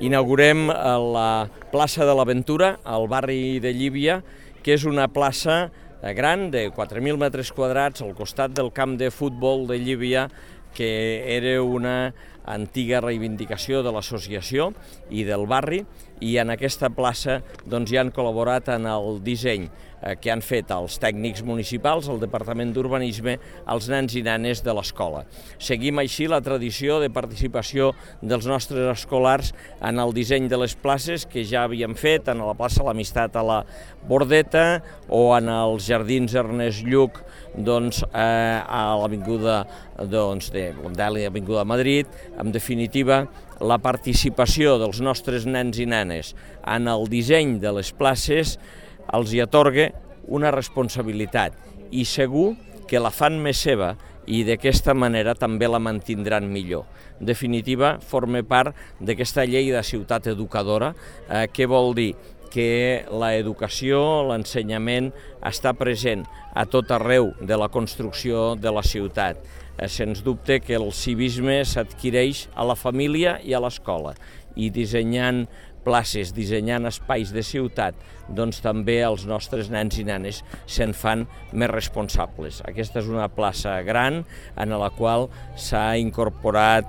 Inaugurem la plaça de l'Aventura, al barri de Llívia, que és una plaça gran de 4.000 metres quadrats al costat del camp de futbol de Llívia, que era una antiga reivindicació de l'associació i del barri, i en aquesta plaça hi han col·laborat en el disseny que han fet els tècnics municipals, el Departament d'Urbanisme, els nens i nenes de l'escola. Seguim així la tradició de participació dels nostres escolars en el disseny de les places que ja havíem fet en la plaça L'Amistat a la Bordeta o en els jardins Ernest Lluch a l'avinguda de Blondel i l'avinguda de Madrid. En definitiva, la participació dels nostres nens i nenes en el disseny de les places els hi atorga una responsabilitat i segur que la fan més seva i d'aquesta manera també la mantindran millor. En definitiva, forma part d'aquesta llei de ciutat educadora, que vol dir que l'educació, l'ensenyament està present a tot arreu de la construcció de la ciutat. Sens dubte que el civisme s'adquireix a la família i a l'escola, i dissenyant places, dissenyant espais de ciutat, també els nostres nens i nenes se'n fan més responsables. Aquesta és una plaça gran en la qual s'ha incorporat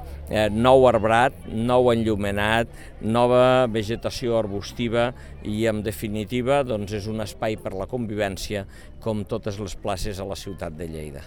nou arbrat, nou enllumenat, nova vegetació arbustiva i, en definitiva, és un espai per la convivència com totes les places a la ciutat de Lleida.